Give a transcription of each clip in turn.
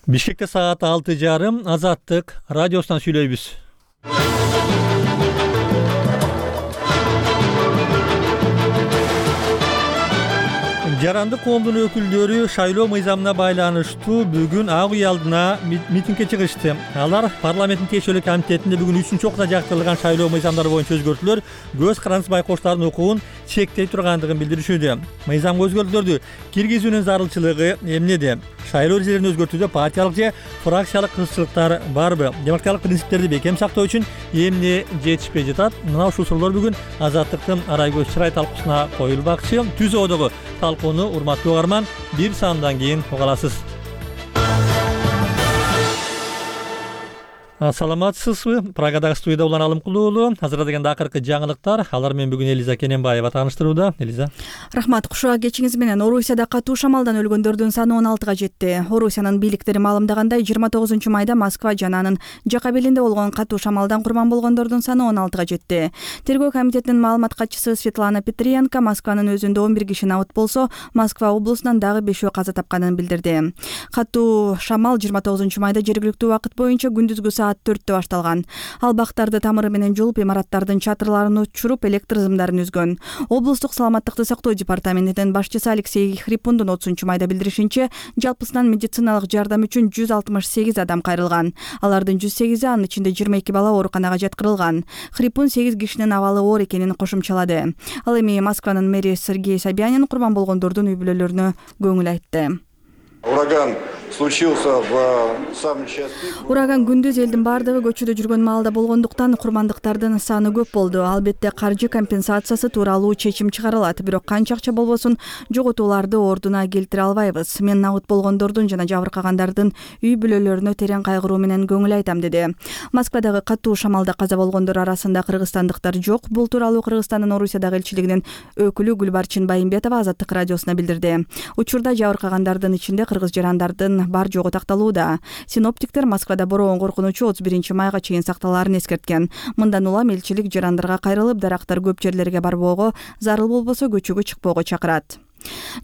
Бишкекте саат 6:30 Азаттык радиосунан сүйлөйбүз. Жарандык коомдун өкүлдөрү шайлоо мыйзамына байланыштуу бүгүн ак үй алдына митингге чыгышты. Алар парламенттин тиешелүү комитетинде бүгүн 3-чү окууда жактырылган шайлоо мыйзамдары боюнча өзгөртүүлөр көз карандысыз байкоштардын укугун чектей тургандыгын билдиришүүдө. Мыйзамга өзгөртүүлөрдү киргизүүнүн зарылчылыгы эмнеде? Шайлоо эрежелерин өзгөртүүдө партиялык же фракциялык кызыкчылыктар барбы? Демократиялык принциптерди бекем сактоо үчүн эмне жетишпей жатат? Мына ушул суроолор бүгүн Азаттыктын арай көз чырай талкуусуна коюлбакчы. Түзөөдөгү талкууну урматтуу угарман бир саамдан кийин уга аласыз. Саламатсызбы? Прагадагы студияда Улан Алымкулуу. Азырда дегенде акыркы жаңылыктар. Алар менен бүгүн Элиза Кененбаева тааныштырууда. Элиза. Рахмат. Кушуга кечиңиз менен Орусияда катуу шамалдан өлгөндөрдүн саны 16га жетти. Орусиянын бийликтери маалымдагандай 29 майда Москва жана анын жака белинде болгон катуу шамалдан курман болгондордун саны 16га жетти. Тергөө комитетинин маалымат катчысы Светлана Петренко Москванын өзүндө 11 киши набыт болсо, Москва облусунан дагы 5 каза тапканын билдирди. Катуу шамал 29 майда жергиликтүү убакыт боюнча күндүзгү саат 4-тө башталган. Ал бактарды тамыры менен жулуп, имараттардын чатырларын учуруп, электр сымдарын үзгөн. Облустук саламаттыкты сактоо департаментинин башчысы Алексей Хрипундун 30 майда билдиришинче, жалпысынан медициналык жардам үчүн 168 адам кайрылган. Алардын 108 анын ичинде 22 бала ооруканага жаткырылган. Хрипун 8 кишинин абалы оор экенин кошумчалады. Ал эми Москванын мэри Сергей Собянин курман болгондордун үй бүлөлөрүнө көңүл айтты. Ураган случился в самый час пик. Ураган күндүз элдин бардыгы көчөдө жүргөн маалда болгондуктан курмандыктардын саны көп болду. Албетте каржы компенсациясы тууралуу чечим чыгарылат, бирок канча акча болбосун жоготууларды ордуна келтире албайбыз. Мен набыт болгондордун жана жабыркагандардын үй бүлөлөрүнө терең кайгыруу менен көңүл айтам, деди. Москвадагы катуу шамалда каза болгондор арасында кыргызстандыктар жок. Бул тууралуу Кыргызстандын Орусиядагы элчилигинин өкүлү Гүлбарчын Байымбетова Азаттык радиосуна билдирди. Учурда жабыркагандардын ичинде кыргыз жарандардын бар жогу такталууда. Синоптиктер Москвада бороон коркунучу 31 майга чейин сакталаарын эскерткен. Мындан улам элчилик жарандарга кайрылып, дарактар көп жерлерге барбоого, зарыл болбосо көчөгө чыкпоого чакырат.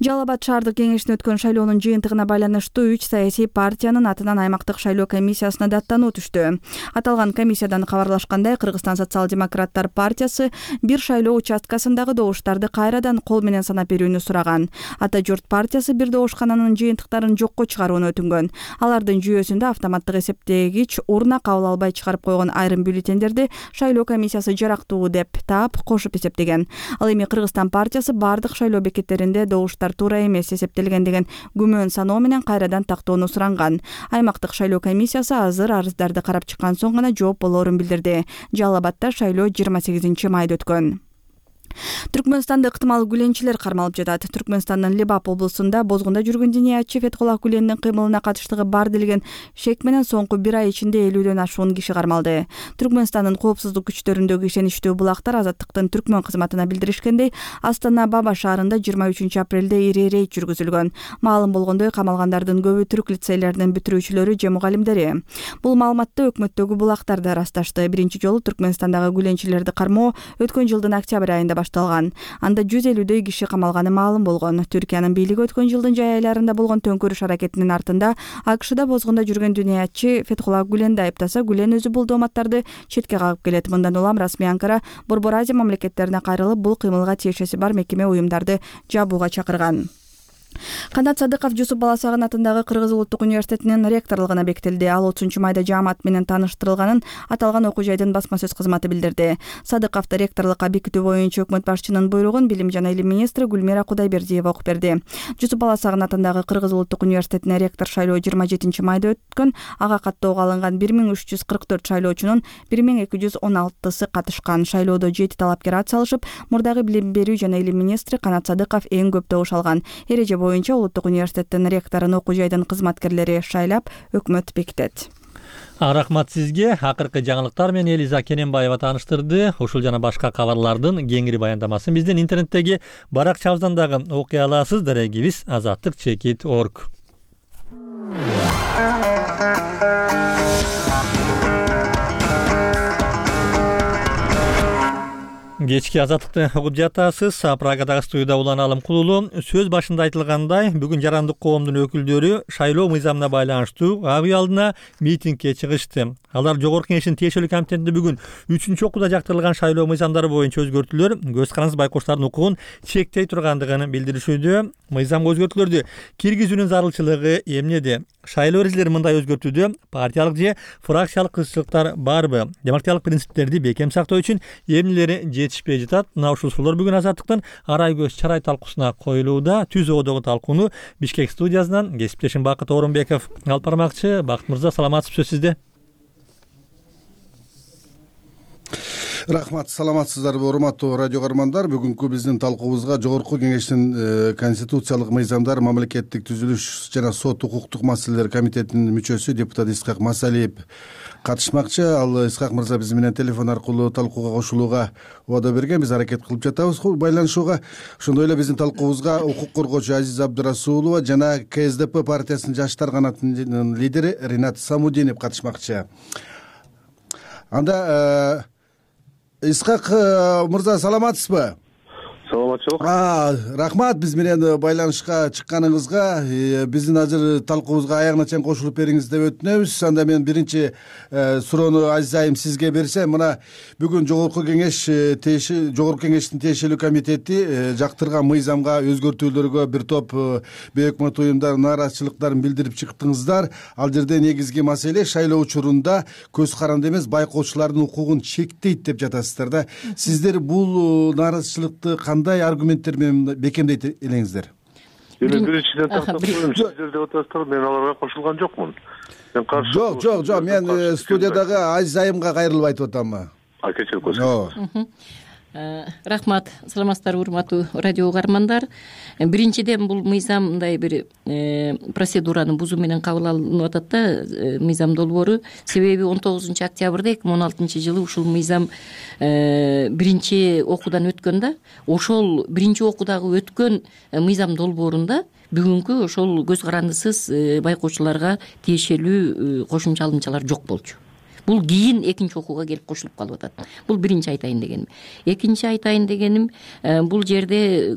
Жалал Абад шаардык кеңешинде өткөн шайлоонун жыйынтыгына байланыштуу 3 саясий партиянын атынан аймактык шайлоо комиссиясына даттануу түштү. Аталган комиссиядан кабарлашкандай, Кыргызстан социал-демократтар партиясы бир шайлоо участкасындагы добуштарды кайрадан кол менен санап берүүнү сураган. Ата журт партиясы бир добушкананын жыйынтыктарын жокко чыгарууну өтүнгөн. Алардын жүйөсүндө автоматтык эсептегич урна кабыл албай чыгарып койгон айрым бюллетендерди шайлоо комиссиясы жарактуу деп таап кошуп эсептеген. Ал эми Кыргызстан партиясы бардык шайлоо бекеттеринде добуштар туура эмес эсептелген деген күмөн саноо менен кайрадан тактоону суранган. Аймактык шайлоо комиссиясы азыр арыздарды карап чыккан соң гана жооп болоорун билдирди. Жалал Абадда шайлоо 28 майда өткөн. Түркмөнстанды ыктымал гүленчилер кармалып жатат. Түркмөнстандын Лебап облусунда бозгунда жүргөн диниятчы Фетхуллах Гүлендин кыймылына катыштыгы бар делген шек менен соңку бир ай ичинде 50дөн ашуун киши кармалды. Түркмөнстандын коопсуздук күчтөрүндөгү ишеничтүү булактар Азаттыктын түркмөн кызматына билдиришкендей, Астана Баба шаарында 23 апрелде ири рейд жүргүзүлгөн. Маалым болгондой, камалгандардын көбү түрк лицейлеринин бүтүрүүчүлөрү же мугалимдери. Бул маалыматты өкмөттөгү булактар да ырасташты. Биринчи жолу Түркмөнстандагы гүленчилерди кармоо өткөн жылдын октябрь айында башталган. Анда 150дөй киши камалганы маалым болгон. Түркиянын бийлиги өткөн жылдын жай айларында болгон төңкөрүш аракетинин артында АКШда бозгунда жүргөн диниятчы Фетхуллах Гүленди айыптаса, Гүлен өзү бул дооматтарды четке кагып келет. Мындан улам расмий Анкара Борбор Азия мамлекеттерине кайрылып, бул кыймылга тиешеси бар мекеме уюмдарды жабууга чакырган. Канат Садыков Жусуп Баласагын атындагы Кыргыз улуттук университетинин ректорлугуна бекитилди. Ал 30 майда жаамат менен тааныштырылганын аталган окуу жайдын басма сөз кызматы билдирди. Садыковду ректорлукка бекитүү боюнча өкмөт башчынын буйругун билим жана илим министри Гүлмира Кудайбердиева окуп берди. Жусуп Баласагын атындагы Кыргыз улуттук университетине ректор шайлоо 27 майда өткөн. Ага каттоого алынган 1344 шайлоочунун 1216сы катышкан. Шайлоодо 7 талапкер ат салышып, мурдагы билим берүү жана илим министри Канат Садыков эң көп добуш алган. Эреже боюнча улуттук университеттин ректорун окуу жайдын кызматкерлери шайлап, өкмөт бекитет. Рахмат сизге. Акыркы жаңылыктар менен Элиза Кененбаева тааныштырды. Ушул жана башка кабарлардын кеңири баяндамасын биздин интернеттеги баракчабыздан дагы окуй аласыз. Дарегибиз azattik.org. Кечки азаттыкты угуп жатасыз. Прагадагы студияда Улан Алымкулуу. Сөз башында айтылгандай, бүгүн жарандык коомдун өкүлдөрү шайлоо мыйзамына байланыштуу ак үй алдына митингге чыгышты. Алар Жогорку Кеңештин тиешелүү комитетинде бүгүн 3-чү окууда жактырылган шайлоо мыйзамдары боюнча өзгөртүүлөр көз карандысыз байкоочулардын укугун чектей тургандыгын билдиришүүдө. Мыйзамга өзгөртүүлөрдү киргизүүнүн зарылчылыгы эмнеде? Шайлоо эрежелери мындай өзгөртүүдө партиялык же фракциялык кызыкчылыктар барбы? Демократиялык принциптерди бекем сактоо үчүн эмнелери жетишпей жатат? Мына ушул суроолор бүгүн Азаттыктын арай көз чарай талкуусуна коюлууда. Түз оодогу талкууну Бишкек студиясынан кесиптешим Бакыт Орунбеков алып бармакчы. Бакыт мырза, саламатсызбы? Сөз сизде. Рахмат, саламатсыздарбы урматтуу радио көрөрмандар. Бүгүнкү биздин талкуубузга Жогорку Кеңештин конституциялык мыйзамдар, мамлекеттик түзүлүш жана сот укуктук маселелер комитетинин мүчөсү депутат Исхак Масалиев катышмакчы. Ал Исхак мырза биз менен телефон аркылуу талкууга кошулууга убада берген. Биз аракет кылып жатабыз байланышууга. Ошондой эле биздин талкуубузга укук коргоочу Азиза Абдырасулова жана КСДП партиясынын жаштар канатынын лидери Ринат Самудинов катышмакчы. Анда Исхак мырза, саламатсызбы? Саламатчылык. Рахмат биз менен байланышка чыкканыңызга. Биздин азыр талкуубузга аягына чейин кошулуп бериңиз деп өтүнөбүз. Анда мен биринчи суроону Азиз айым сизге берсем, мына бүгүн Жогорку Кеңештин тиешелүү комитети жактырган мыйзамга өзгөртүүлөргө бир топ бейөкмөт уюмдар нааразычылыктарын билдирип чыктыңыздар. Ал жерде негизги маселе шайлоо учурунда көз каранды эмес байкоочулардын укугун чектейт деп жатасыздар да. Сиздер бул нааразычылыкты кандай аргументтер менен бекемдейт элеңиздер? Биринчиден тактап коеюн, сиздер деп атасыздар, мен аларга кошулган жокмун. Мен каршы. Жок, мен студиядагы Азиз айымга кайрылып айтып атам. Кечирип койсоңуз. Рахмат, саламатсыздарбы урматтуу радио угармандар. Биринчиден бул мыйзам мындай бир процедураны бузуу менен кабыл алынып атат да, мыйзам долбоору. Себеби 19-октябрда 2016-жылы ушул мыйзам биринчи окуудан өткөн да. Ошол биринчи окуудагы өткөн мыйзам долбоорунда бүгүнкү ошол көз карандысыз байкоочуларга тиешелүү кошумча алымчалар жок болчу. Бул кийин экинчи окууга келип кошулуп калып атат. Бул биринчи айтайын дегеним. Экинчи айтайын дегеним, бул жерде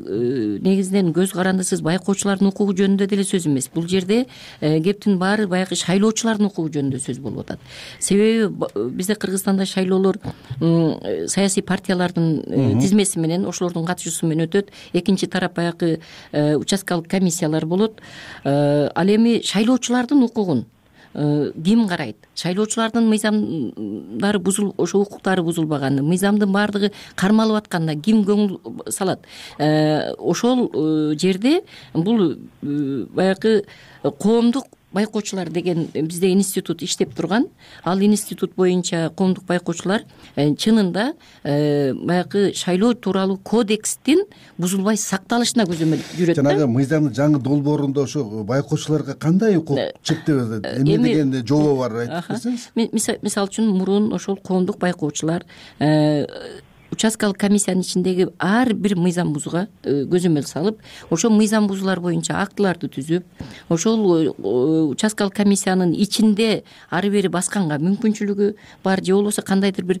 негизинен көз карандысыз байкоочулардын укугу жөнүндө деле сөз эмес. Бул жерде кептин баары баягы шайлоочулардын укугу жөнүндө сөз болуп атат. Себеби бизде Кыргызстанда шайлоолор саясий партиялардын тизмеси менен, ошолордун катышуусу менен өтөт. Экинчи тарап баягы участкалык комиссиялар болот. Ал эми шайлоочулардын укугун ким карайт? Шайлоочулардын мыйзамдары ошо укуктары бузулбаганы, мыйзамдын баардыгы кармалып атканда ким көңүл салат? Ошол жерде бул баягы коомдук байкоочулар деген бизде институт иштеп турган. Ал институт боюнча коомдук байкоочулар чынында баягы шайлоо тууралуу кодекстин бузулбай сакталышына көзөмөл жүрөт. Жанагы мыйзамдын жаңы долбоорунда ошо байкоочуларга кандай укук чектеп эмне деген жобо бар, айтып берсеңиз? Мисалы үчүн мурун ошол коомдук байкоочулар участкалык комиссиянын ичиндеги ар бир мыйзам бузууга көзөмөл салып, ошол мыйзам бузуулар боюнча актыларды түзүп, ошол участкалык комиссиянын ичинде ары бери басканга мүмкүнчүлүгү бар, же болбосо кандайдыр бир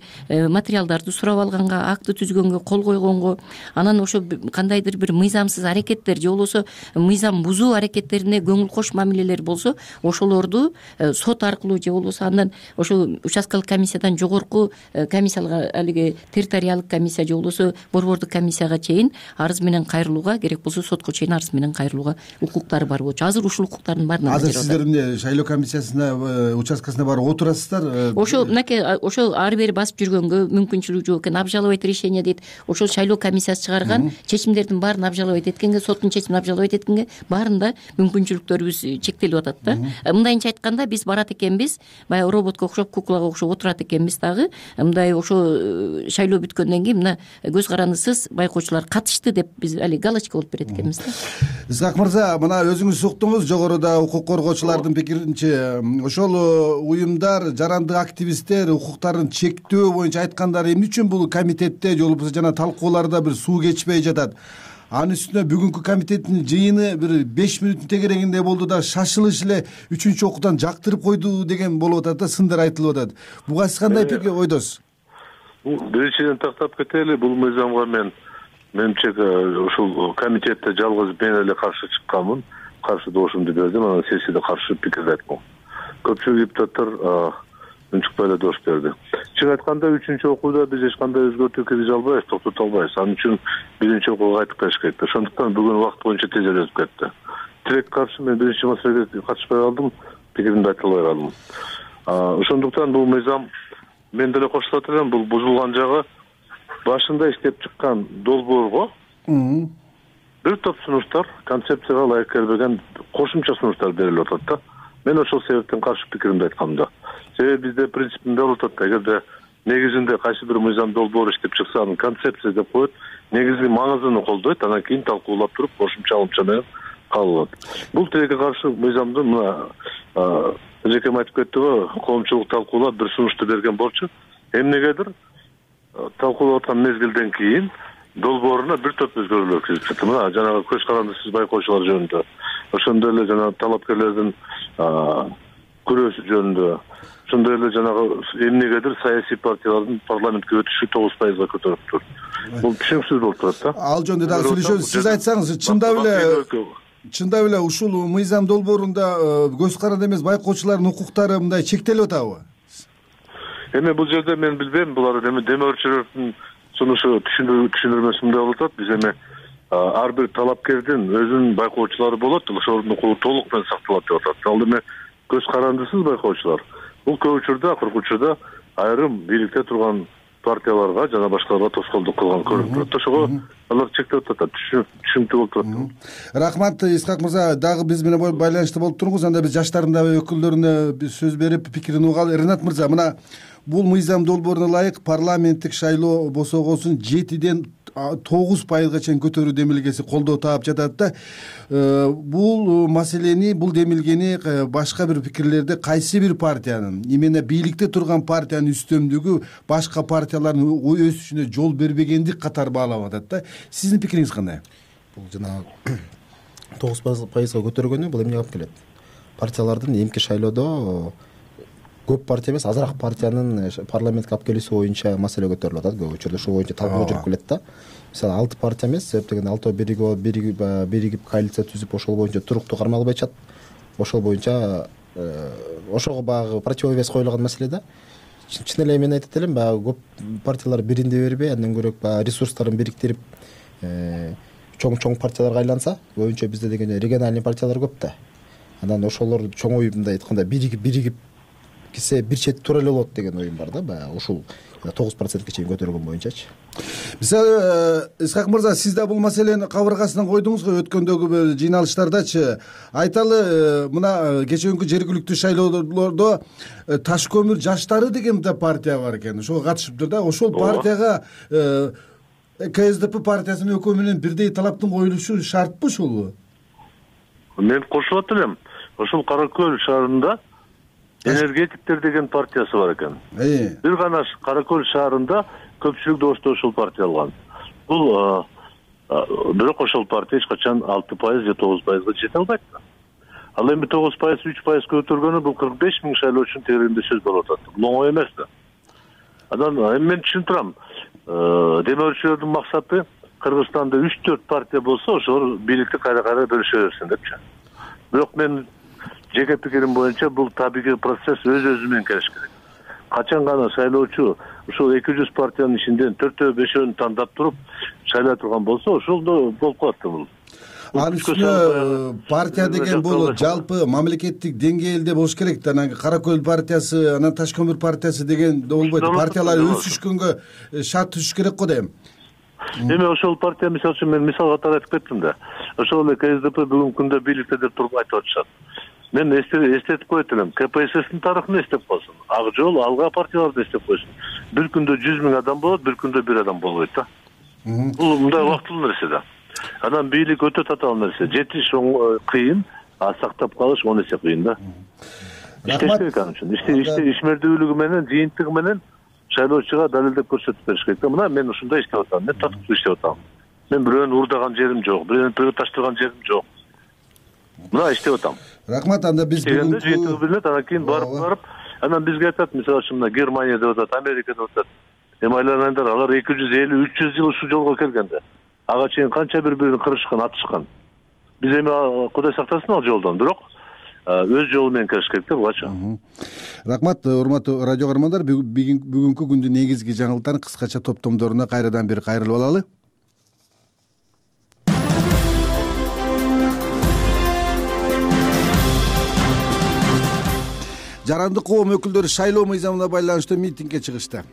материалдарды сурап алганга, акты түзгөнгө, кол койгонго, анан ошо кандайдыр бир мыйзамсыз аракеттер же болбосо мыйзам бузуу аракеттерине көңүл кош мамилелер болсо, ошолорду сот аркылуу же болбосо андан ошол участкалык комиссиядан жогорку комиссияга, алиги территориалдык комиссия же болбосо борбордук комиссияга чейин арыз менен кайрылууга, керек болсо сотко чейин арыз менен кайрылууга укуктары бар болчу. Азыр ушул укуктардын баарына азыр сиздер эмне шайлоо комиссиясына, участкасына барып отурасыздар? Ошо мынакей ошол ары бери басып жүргөнгө мүмкүнчүлүгү жок экен. Обжаловать решение дейт. Ошол шайлоо комиссиясы чыгарган чечимдердин баарын обжаловать эткенге, соттун чечимин обжаловать эткенге баарында мүмкүнчүлүктөрүбүз чектелип атат да. Мындайынча айтканда, биз барат экенбиз, баягы роботко окшоп, куклага окшоп отурат экенбиз дагы. Мындай ошо шайлоо бүткөндөн кийин мына көз карандысыз байкоочулар катышты деп биз али галочка болуп берет экенбиз да. Исхак мырза, мына өзүңүз уктуңуз, жогоруда укук коргоочулардын пикиринче ошол уюмдар, жарандык активисттер укуктарын чектөө боюнча айткандары эмне үчүн бул комитетте же болбосо жана талкууларда бир суу кечпей жатат? Анын үстүнө бүгүнкү комитеттин жыйыны бир 5 мүнөттүн тегерегинде болду да, шашылыш эле 3-чү окуудан жактырып койду деген болуп атат да, сындар айтылып атат. Буга сиз кандай ойдосуз? Биринчиден тактап кетели, бул мыйзамга менимче ушул комитетте жалгыз мен эле каршы чыкканмын, каршы добушумду бердим, анан сессияда каршы пикирди айткам. Көпчүлүк депутаттар үн чыкпай эле добуш берди. Чын айтканда 3-окууда биз эч кандай өзгөртүү киргизе албайбыз, токтото албайбыз. Анын үчүн 1-окууга кайтып келиш керек. Ошондуктан бүгүн убакыт боюнча тезирээк өтүп кетти. Тирек каршы мен биринчи маселеге катышпай калдым, пикиримди айта албай калдым. Ошондуктан бул мыйзам мен деле кошулат элем, бул бузулган жагы башында иштеп чыккан долбоорго бир топ сунуштар, концепцияга ылайык келбеген кошумча сунуштар берилип атат да. Мен ошол себептен каршы пикиримди айткам да. Себеби бизде принципинде болуп атат да, эгерде негизинде кайсы бир мыйзам долбоор иштеп чыкса, анын концепция деп коет, негизги маңызын колдойт, анан кийин талкуулап туруп кошумча алымча менен кабыл алат. Бул тилекке каршы мыйзамды мына эжекем айтып кетти го, коомчулук талкуулап бир сунушту берген болчу. Эмнегедир талкуулап аткан мезгилден кийин долбооруна бир топ өзгөрүүлөр кирип чыкты. Мына жанагы көз карандысыз байкоочулар жөнүндө, ошондой эле жана талапкерлердин күрөөсү жөнүндө, ошондой эле жанагы эмнегедир саясий партиялардын парламентке өтүшү 9%-га көтөрүлүптүр. Бул түшүнүксүз болуп турат да. Ал жөнүндө дагы сүйлөшөбүз. Сиз айтсаңыз, чындап эле ушул мыйзам долбоорунда көз каранды эмес байкоочулардын укуктары мындай чектелип атабы? Эми бул жерде мен билбейм, булар демөөрчүлөрдүн сунушу түшүндүрмөсү мындай болуп атат. Биз эми ар бир талапкердин өзүнүн байкоочулары болот, ошолордун укугу толук менен сакталат деп атат. Ал эми көз карандысыз байкоочулар бул көп учурда, акыркы учурда айрым бийликте турган партияларга жана башкаларга тоскоолдук кылган көрүнүп турат. Ошого алар чектелип атат, түшүнүктүү болуп турат. Рахмат, Исхак мырза, дагы биз менен байланышта болуп туруңуз. Анда биз жаштардын дагы өкүлдөрүнө сөз берип пикирин угалы. Ренат мырза, мына бул мыйзам долбооруна ылайык парламенттик шайлоо босогосун 7-ден 9%-га чейин көтөрүү демилгеси колдоо таап жатат да. Бул маселени, бул демилгени башка бир пикирлерде кайсы бир партиянын, именно бийликте турган партиянын үстөмдүгү башка партиялардын өсүшүнө жол бербегендик катары баалап атат да. Сиздин пикириңиз кандай? Бул жанагы 9%-га көтөргөнү бул эмнеге алып келет? Партиялардын эмки шайлоодо көп партия эмес, азыраак партиянын парламентке алып келүүсү боюнча маселе көтөрүлүп атат. Көп учурда ошол боюнча талкуу жүрүп келет да. Мисалы 6 партия эмес, себеп дегенде 6 биригип коалиция түзүп ошол боюнча туруктуу кармалып атышат. Ошол боюнча ошого баягы противовес коюлган маселе да. Чын эле мен айтат элем, баягы көп партиялар биринде бербей, андан көрөк баягы ресурстарын бириктирип чоң партияларга айланса, боюнча бизде дегенде региональный партиялар көп да. Анан ошолор чоң ой мындай айтканда биригип кесе бир чет тура эле болот деген оюм бар да. Баягы ушул 9%-га чейин көтөргөн боюнчачы. Мисалы, Исхак мырза, сиз да бул маселени кабыргасынан койдуңуз го өткөндөгү жыйналыштардачы. Айталы, мына кечээкүнкү жергиликтүү шайлоолордо Таш көмүр жаштары деген да партия бар экен. Ошого катышыптыр да. Ошол партияга КСДП партиясынын өкмө менен бирдей талаптын коюлушу шартпы ушул? Мен кошулат элем. Ошол Кара Көл шаарында энергетиктер деген партиясы бар экен. Бир гана Кара Көл шаарында көпчүлүк добушту ошол партия алган. Бул бирок ошол партия эч качан 6% же 9%га жете албайт. Ал эми 9%, 3% көтөргөнү бул 45 000 шайлоочунун тегерегинде сөз болуп атат. Бул оңой эмес да. Анан мен түшүнүп турам. Демөөрчүлөрдүн максаты Кыргызстанда 3-4 партия болсо, ошолор бийликти кайра бөлүшө берсин депчи. Бирок мен жеке пикирим боюнча бул табигый процесс өз менен келиш керек. Качан гана шайлоочу ушул 200 партиянын ичинен 4-5-өн тандап туруп шайлай турган болсо, ошол болуп калат да бул. Анын үстүнө партия деген бул жалпы мамлекеттик деңгээлде болуш керек да. Анан Кара Көл партиясы, анан Таш көмүр партиясы деген болбойт. Партиялар өсүшкөнгө шарт түзүш керек го дейм. Эми ошол партия мисалы үчүн мен мисал катары айтып кеттим да. Ошол эле КСДП бүгүнкү күндө бийликте деп туруп айтып атышат. Мен эстетип коет элем. КПССтин тарыхын эстеп койсун. Ак жол, Алга партияларды эстеп койсун. Бир күндө 100 000 адам болот, бир күндө 1 адам болбойт да. Бул мындай убактылуу нерсе да. Анан бийлик өтө татаал нерсе. Жетиш кыйын, а сактап калыш 10 эсе кыйын да. Иштеш керек анын үчүн. Ишмердүүлүгү менен, жыйынтыгы менен шайлоочуга далилдеп көрсөтүп бериш керек да. Мына мен ушундай иштеп атам, мен татыктуу иштеп атам. Мен бирөөнү урдаган жерим жок, бирөөнү таштырган жерим жок. Мына иштеп атам. Рахмат, анда биз бүгүн жыйынтыгы билинет, анан кийин барып, анан бизге айтат, мисалы үчүн мына Германия деп атат, Америка деп атат. Эми айланаңдар, алар 250-300 жыл ушу жолго келгенде ага чейин канча бири-бирин кырышкан, атышкан. Биз эми Кудай сактасын ал жолдон, бирок өз жолу менен келиш керек да бугачы. Рахмат, урматтуу радио каармандар. Бүгүнкү күндүн негизги жаңылыктарын кыскача топтомдоруна кайрадан бир кайрылып алалы. Жарандык коом өкүлдөрү шайлоо мыйзамына байланыштуу митингге чыгышты.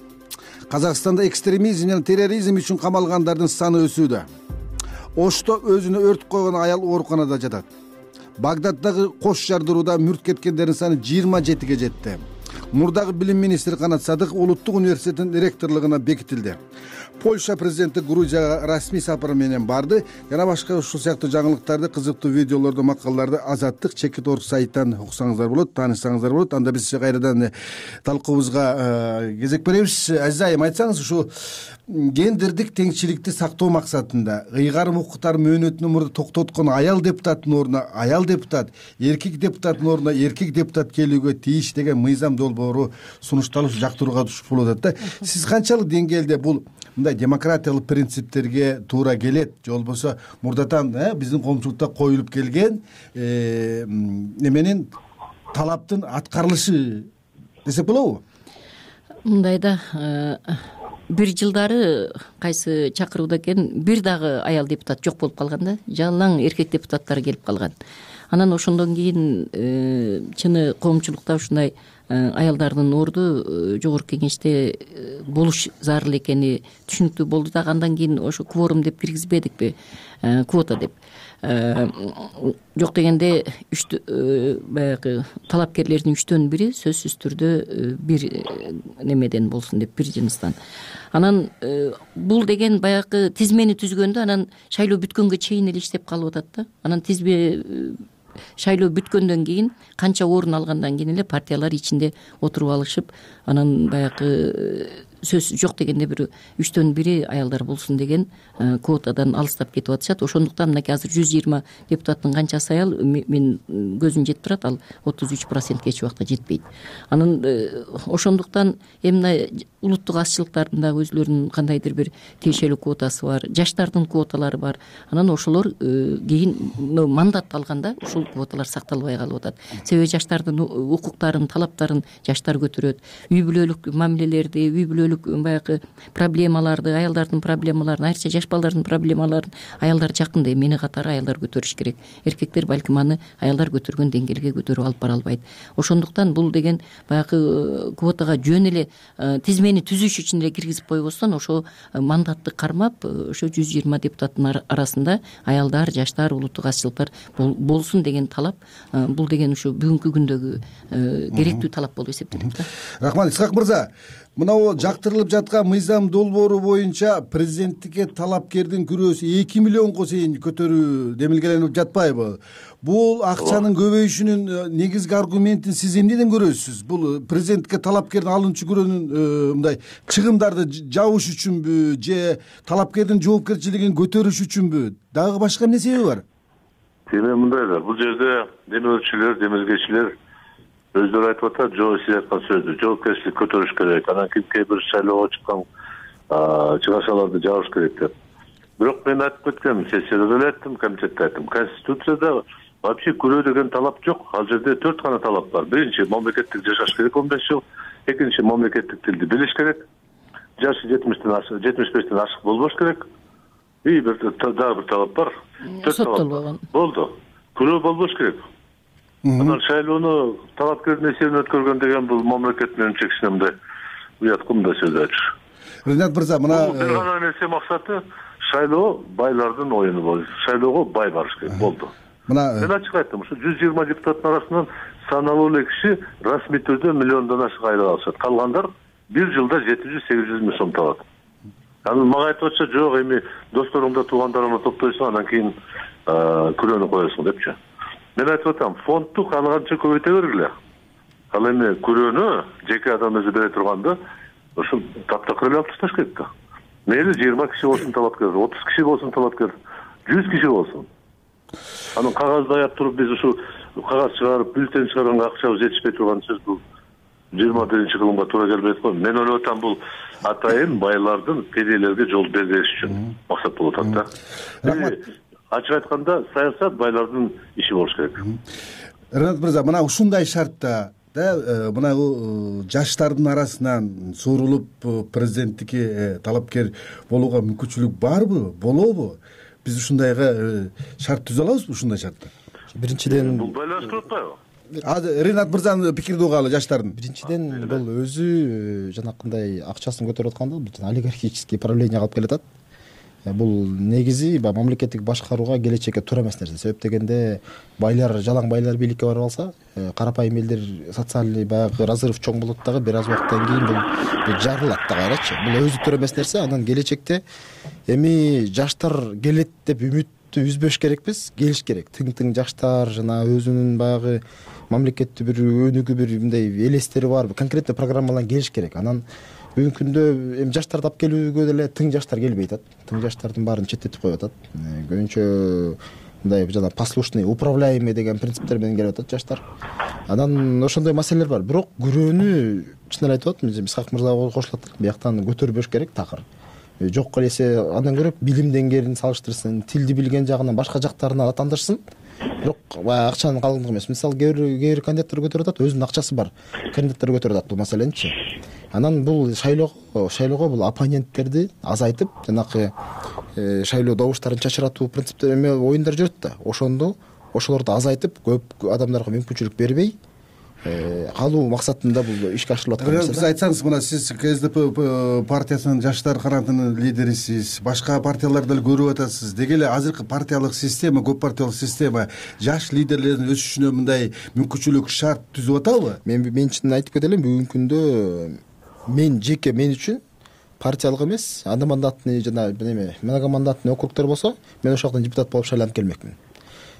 Казакстанда экстремизм жана терроризм үчүн камалгандардын саны өсүүдө. Ошто өзүнө өрт койгон аял ооруканада жатат. Багдаддагы кош жардырууда мүрт кеткендердин саны 27ге жетти. Мурдагы билим министри Канат Садык улуттук университеттин ректорлугуна бекитилди. Польша президенти Грузияга расмий сапар менен барды. Жана башка ушул сыяктуу жаңылыктарды, кызыктуу видеолорду, макалаларды Азаттык Чекит.org сайттан уксаңыздар болот, таанышсаңыздар болот. Анда биз кайрадан талкуубузга кезек беребиз. Азиз айым, айтсаңыз, ушу гендердик теңчиликти сактоо максатында ыйгарым укуктар мөөнөтүнүн мурда токтоткон аял депутаттын ордуна аял депутат, эркек депутаттын ордуна эркек депутат келүүгө тийиш деген мыйзам долбоору сунушталып жактырууга түшүп болуп атат да. Сиз канчалык деңгээлде бул мындай демократиялык принциптерге туура келет, же болбосо мурдатан биздин коомчулукта коюлуп келген неменин талаптын аткарылышы десек болобу? Мындайда бир жылдары кайсы чакырууда экен бир дагы аял депутат жок болуп калган да, жалаң эркек депутаттар келип калган. Анан ошондон кийин чыны коомчулукта ушундай аялдардын орду жогорку кеңеште болуш зарыл экени түшүнүктүү болду да. Андан кийин ошо кворум деп киргизбедикпи, квота деп. Жок дегенде баягы талапкерлердин 1/3 сөзсүз түрдө бир немеден болсун деп, бир жыныстан. Анан бул деген баягы тизмени түзгөндө анан шайлоо бүткөнгө чейин эле иштеп калып атат да. Анан шайлоо бүткөндөн кийин канча орун алгандан кийин эле партиялар ичинде отуруп алышып, анан баягы сөз жок дегенде бир 1/3 аялдар болсун деген квотадан алыстап кетип атышат. Ошондуктан мынакей азыр 120 депутаттын канчасы аял, мен көзүм жетип турат, ал 33%ге эч убакта жетпейт. Анан ошондуктан эми улуттук азчылыктардын дагы өзүлөрүнүн кандайдыр бир тиешелүү квотасы бар, жаштардын квоталары бар. Анан ошолор кийин мандат алганда ушул квоталар сакталбай калып атат. Себеби жаштардын укуктарын, талаптарын жаштар көтөрөт. Үй бүлөлүк мамилелерди, үй бүлөлүк баягы проблемаларды, аялдардын проблемаларын, айрыкча жаш балдардын проблемаларын аялдар жакында эмне катары аялдар көтөрүш керек. Эркектер балким аны аялдар көтөргөн деңгээлге көтөрүп алып бара албайт. Ошондуктан бул деген баягы квотага жөн эле тизмени түзүш үчүн эле киргизип койбостон, ошо мандатты кармап, ошо 120 депутаттын арасында аялдар, жаштар, улуттук азчылыктар болсун деген талап, бул деген ушу бүгүнкү күндөгү керектүү талап болуп эсептелет да. Рахмат, Исхак мырза. Мынау жактырылып жаткан мыйзам долбоору боюнча президенттикке талапкердин күрөөсү 2 миллионго чейин көтөрүү демилгеленип жатпайбы? Бул акчанын көбөйүшүнүн негизги аргументин сиз эмнеден көрөсүз? Бул президенттикке талапкердин алынчу күрөөнүн мындай чыгымдарды жабыш үчүнбү, же талапкердин жоопкерчилигин көтөрүш үчүнбү? Дагы башка эмне себеби бар? Эми мындай да, бул жерде демелчилер, демилгечилер өздөрү айтып атат, сиз айткан сөздү жоопкерчилик көтөрүш керек, анан кимге бир шайлоого чыккан чыгашаларды жабыш керек деп. Бирок мен айтып кеткем, сессияда деле айттым, комитетте айттым. Конституцияда вообще күрөө деген талап жок. Ал жерде 4 гана талап бар. Биринчи, мамлекеттик жашаш керек 15 жыл. Экинчи, мамлекеттик тилди билиш керек. Жашы 75-тен ашык болбош керек. И дагы бир талап бар. 4 талап болду. Күрөө болбош керек. Анан шайлоону талапкердин эсебинен өткөргөн деген бул мамлекет менен чексинемде уяткымда сөз айтыш. Ренат мырза, мына бир гана нерсе максаты шайлоо байлардын оюну болду. Шайлоого бай барыш керек болду. Мен ачык айттым, ушу 120 депутаттын арасынан саналуу эле киши расмий түрдө миллиондон ашык айлык алышат. Калгандар бир жылда 700-800 миң сом табат. Анан мага айтып атса, жок, эми досторуңда, туугандарыңды топтойсуң, анан кийин күрөөнү коесуң депчи. Мен айтып атам, фондду каалаганча көбөйтө бергиле. Ал эми күрөөнү жеке адам өзү бере турганда, ошол таптакыр эле алып ташташ керек да. Мейли 20 киши болсун талапкер, 30 киши болсун талапкер, 100 киши болсун. Анан кагазды аяп туруп биз ушу кагаз чыгарып, бюллетень чыгарганга акчабыз жетишпей турган сөз бул. 21 кылымга туура келбейт го. Мен ойлоп атам, бул атайын байлардын кедейлерге жол бербеш үчүн максат болуп атат да. Ачык айтканда, саясат байлардын иши болуш керек. Ренат мырза, мына ушундай шартта мына жаштардын арасынан суурулуп президенттикке талапкер болууга мүмкүнчүлүк барбы, болобу? Биз ушундайга шарт түзө алабызбы, ушундай шартта? Биринчиден Бул байланыштырып атпайбы? Ренат мырзанын пикирди угалы, жаштардын. Биринчиден бул өзү жанакындай акчасын көтөрүп атканда бул олигархический правление калып келатат. Бул негизи мамлекеттик башкарууга келечекке туура эмес нерсе. Себеп дегенде байлар, жалаң байлар бийликке барып алса, карапайым элдер социальный баягы разрыв чоң болот дагы, бир аз убакыттан кийин бул жарылат да кайрачы. Бул өзү туура эмес нерсе. Анан келечекте эми жаштар келет деп үмүттү үзбөш керекпиз, келиш керек. Тың жаштар жана өзүнүн баягы мамлекетти бир өнүгүү, бир мындай элестери бар, конкретный программалар келиш керек. Анан бүгүнкү күндө эми жаштарды алып келүүгө деле тың жаштар келбей атат. Тың жаштардын баарын четтетип коюп атат. Көбүнчө мындай жана послушный, управляемый деген принциптер менен келип атат жаштар. Анан ошондой маселелер бар. Бирок күрөөнү чын эле айтып атам, Исхак мырза кошулат. Бияктан көтөрбөш керек такыр. Жок элесе андан көрө билим деңгээлин салыштырсын, тилди билген жагынан башка жактарына аттандырсын. Бирок акчанын калыңдыгы эмес. Мисалы кээ бир кандидаттар көтөрүп атат, өзүнүн акчасы бар кандидаттар көтөрүп атат бул маселеничи. Анан бул шайлоого бул оппоненттерди азайтып, жанакы шайлоо добуштарын чачыратуу принциптер эме оюндар жүрөт да. Ошолорду азайтып, көп адамдарга мүмкүнчүлүк бербей калуу максатында бул ишке ашырылып аткан. Биз айтсаңыз, мына сиз КСДП партиясынын жаштар канатынын лидерисиз, башка партияларды деле көрүп атасыз. Деги эле азыркы партиялык система, көп партиялык система жаш лидерлердин өсүшүнө мындай мүмкүнчүлүк, шарт түзүп атабы? Мен чын айтып кетелим, бүгүнкү күндө мен үчүн партиялык эмес, одномандатный жана многомандатный округтар болсо, мен ошол жактан депутат болуп шайланып келмекмин.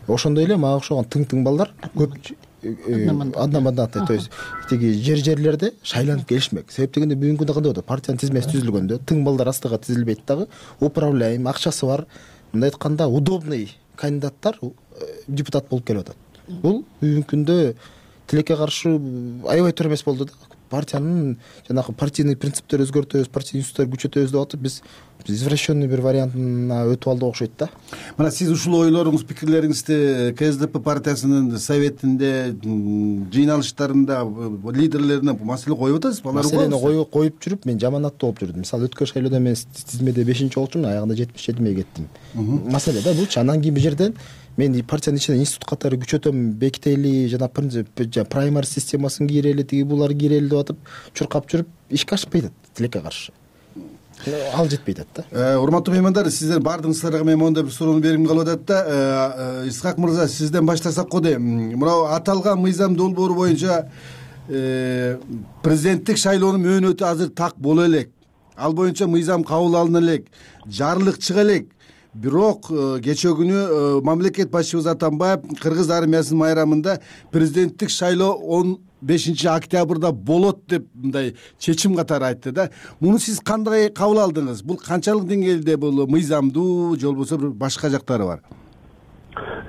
Ошондой эле мага окшогон тың балдар көп одномандатный, то есть тиги жерлерде шайланып келишмек. Себеп дегенде бүгүнкү күндө кандай болот? Партиянын тизмеси түзүлгөндө тың балдар астыга тизилбейт дагы, управляем, акчасы бар, мындай айтканда удобный кандидаттар депутат болуп келип атат. Бул бүгүнкү күндө тилекке каршы аябай туура эмес болду да. Партиянын жанагы партийный принциптер өзгөртөбүз, партийный институттар күчөтөбүз деп атып, биз извращенный бир вариантына өтүп алдык окшойт да. Мына сиз ушул ойлоруңуз, пикирлериңизди КСДП партиясынын советинде, жыйналыштарында лидерлерине маселе коюп атасызбы? Маселени коюп жүрүп, мен жаманатты болуп жүрдүм. Мисалы өткөн шайлоодо мен тизмеде 5-чи болчумун, аягында 77-ге кеттим. Маселе да булчу. Анан кийин бул жерден мен партиянын ичинен институт катары күчөтөм, бекители, жана праймер системасын кийрели, тиги булар кийрели деп атып, чуркап жүрүп, ишке ашпай атат, тилекке каршы. Ал жетпей атат да. Урматтуу меймандар, сиздер бардыгыңыздарга мен мондай бир суроону бергим калып атат да. Исхак мырза, сизден баштасак го дейм. Мына аталган мыйзам долбоору боюнча президенттик шайлоонун мөөнөтү азыр так боло элек. Ал боюнча мыйзам кабыл алына элек, жарлык чыга элек. Бирок кечээ күнү мамлекет башчыбыз Атамбаев кыргыз армиясынын майрамында президенттик шайлоо 15 октябрда болот деп мындай чечим катары айтты да. Муну сиз кандай кабыл алдыңыз? Бул канчалык деңгээлде бул мыйзамдуу, же болбосо башка жактары бар?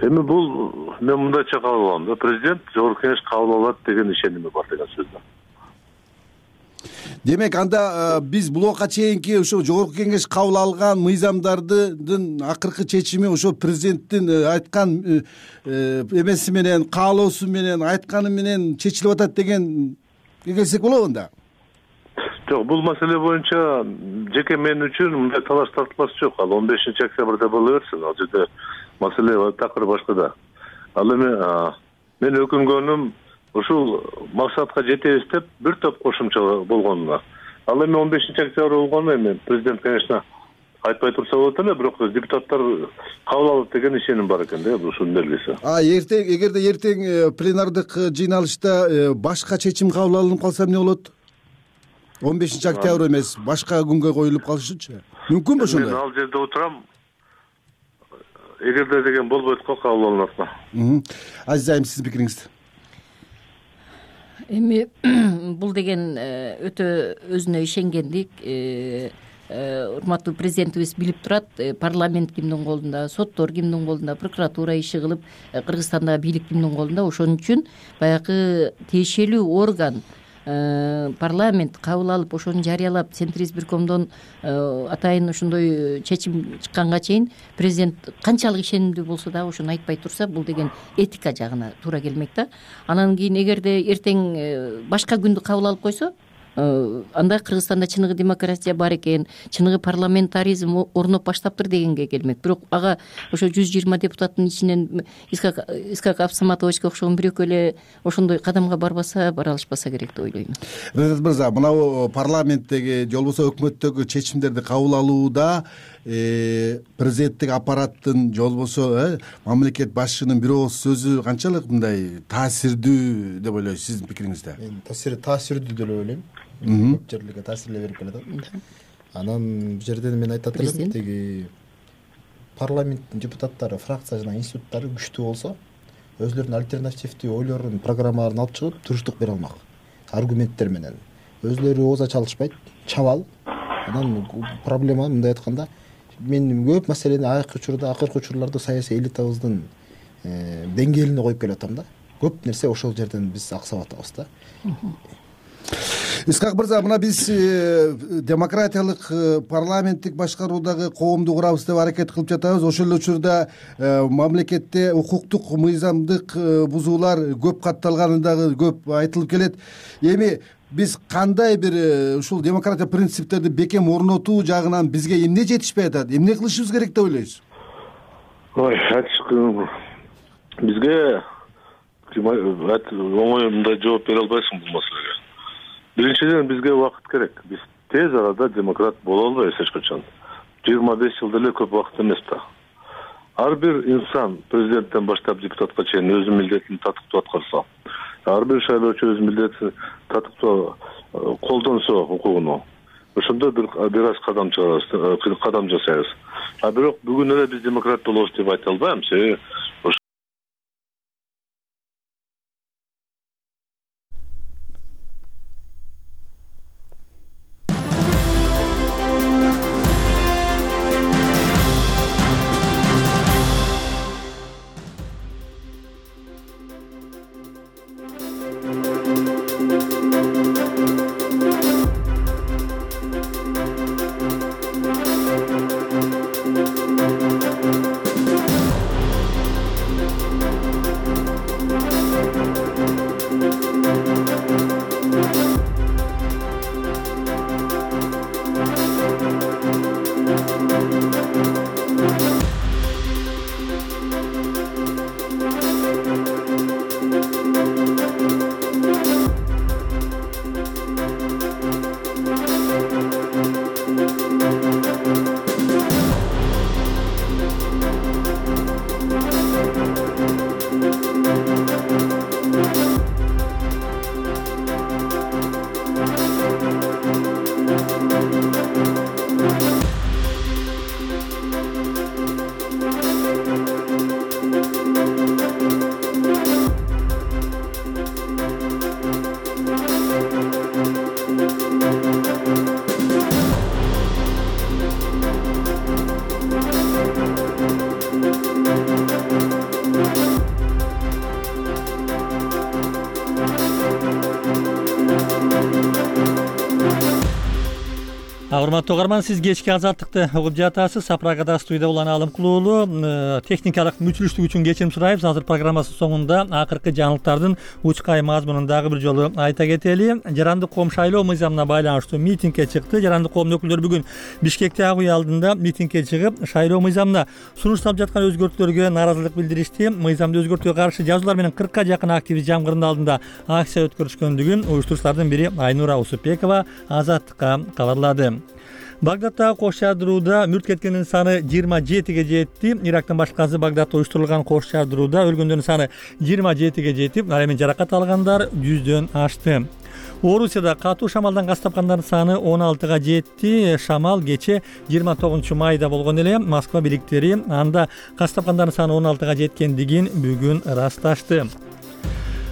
Эми бул мен мындайча кабыл алам да. Президент Жогорку Кеңеш кабыл алат деген ишеними бар деген сөз да. Демек, анда биз булга чейинки ошо Жогорку Кеңеш кабыл алган мыйзамдардын акыркы чечими ошо президенттин айткан эмеси менен, каалоосу менен, айтканы менен чечилип атат деген келсек болобу анда? Жок, бул маселе боюнча жеке мен үчүн мындай талаш тартылаш жок. Ал 15 октябрда боло берсин. Ал жерде маселе такыр башкада. Ал эми мен өкүнгөнүм ушул максатка жетебиз деп бир топ кошумча болгонуна. Ал эми 15 октябрь болгону эми президент, конечно, айтпай турса болот эле, бирок депутаттар кабыл алат деген ишеним бар экен да, ушунун белгиси. Эгерде эртең пленардык жыйналышта башка чечим кабыл алынып калса эмне болот? 15 октябрь эмес, башка күнгө коюлуп калышычы? Мүмкүнбү ошондой? Мен ал жерде отурам. Эгерде деген болбойт го, кабыл алынат го. Азизайым, сиздин пикириңиз? Эми бул деген өтө өзүнө ишенгендик. Урматтуу президентибиз билип турат, парламент кимдин колунда, соттор кимдин колунда, прокуратура иши кылып, Кыргызстандагы бийлик кимдин колунда. Ошон үчүн баягы тиешелүү орган парламент кабыл алып ошону жарыялап Центр избиркомдон атайын ошондой чечим чыкканга чейин президент канчалык ишенимдүү болсо дагы ошону айтпай турса, бул деген этика жагына туура келмек да. Анан кийин эгерде эртең башка күндү кабыл алып койсо, анда Кыргызстанда чыныгы демократия бар экен, чыныгы парламентаризм орноп баштаптыр дегенге келмек. Бирок ага ошо 120 депутаттын ичинен Искак Абсаматовичке окшогон бирөкө эле ошондой кадамга бара алышпаса керек деп ойлойм. Резат мырза, мынау парламенттеги же болбосо өкмөттөгү чечимдерди кабыл алууда президенттик аппараттын же болбосо мамлекет башчынын бир ооз сөзү канчалык мындай таасирдүү деп ойлойсуз, сиздин пикириңизде? Мен таасирдүү деп ойлойм. Көп жерлерге таасирлей берип келет. Анан бул жерден мен айтат элем, тиги парламенттин депутаттары, фракция жана институттары күчтүү болсо, өзлөрүнүн альтернативдүү ойлорун, программаларын алып чыгып туруштук бере алмак. Аргументтер менен. Өзлөрү ооз ача алышпайт, чабал. Анан проблема мындай айтканда, мен көп маселени акыркы учурларда саясий элитабыздын деңгээлине коюп келип атам да. Көп нерсе ошол жерден биз аксап атабыз да. Искак мырза, мына биз демократиялык парламенттик башкаруудагы коомду курабыз деп аракет кылып жатабыз. Ошол эле учурда мамлекетте укуктук мыйзамдык бузуулар көп катталганы дагы көп айтылып келет. Эми биз кандай бир ушул демократия принциптерди бекем орнотуу жагынан бизге эмне жетишпей атат? Эмне кылышыбыз керек деп ойлойсуз? Бизге оңой мындай жооп бере албайсың бул маселеге. Биринчиден бизге убакыт керек. Биз тез арада демократ боло албайбыз эч качан. 25 жыл деле көп убакыт эмес да. Ар бир инсан президенттен баштап депутатка чейин өзүнүн милдетин татыктуу аткарса, ар бир шайлоочу өз милдетин татыктуу колдонсо укугуну, ошондо бир аз кадам жасайбыз. Бирок бүгүн эле биз демократ болобуз деп айта албайм. Урматтуу угарман, сиз кечки азаттыкты угуп жатасыз. Сапрагада студияда Улан Алымкулуулу. Техникалык мүчүлүштүк үчүн кечирим сурайбыз. Азыр программасынын соңунда акыркы жаңылыктардын учкай мазмунун дагы бир жолу айта кетели. Жарандык коом шайлоо мыйзамына байланыштуу митингге чыкты. Жарандык коомдун өкүлдөрү бүгүн Бишкекте ак үй алдында митингге чыгып, шайлоо мыйзамына сунушталып жаткан өзгөртүүлөргө нааразылык билдиришти. Мыйзамды өзгөртүүгө каршы жазуулар менен 40ка жакын активист жамгырдын алдында акция өткөрүшкөндүгүн уюштуруучулардын бири Айнура Усупбекова Азаттыкка кабарлады. Багдадтагы кош жардырууда мүрт кеткендин саны 27ге жетти. Ирактын башкасы Багдадта уюштурулган кош жардырууда өлгөндөрдүн саны 27ге жетип, ал эми жаракат алгандар 100дөн ашты. Орусияда катуу шамалдан газ тапкандардын саны 16га жетти. Шамал кече 29-майда болгон эле. Москва бийликтери анда газ тапкандардын саны 16га жеткендигин бүгүн ырасташты.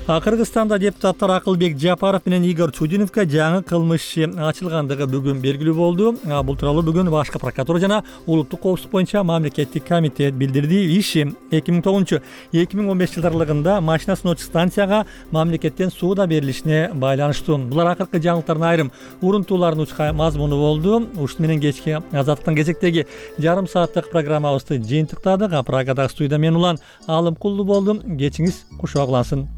Кыргызстанда депутаттар Акылбек Жапаров менен Игорь Чудиновго жаңы кылмыш иши ачылгандыгы бүгүн белгилүү болду. Бул тууралуу бүгүн Башкы прокуратура жана улуттук коопсуздук боюнча мамлекеттик комитет билдирди. Иши 2009-2015 жылдар аралыгында машина сыноочу станцияга мамлекеттен сууда берилишине байланыштуу. Булар акыркы жаңылыктардын айрым урунтууларын учка мазмуну болду. Ушуну менен кечки Азаттыктын кезектеги жарым сааттык программабызды жыйынтыктадык. Прагадагы студияда мен Улан Алымкулду болдум. Кечиңиз кушак улансын.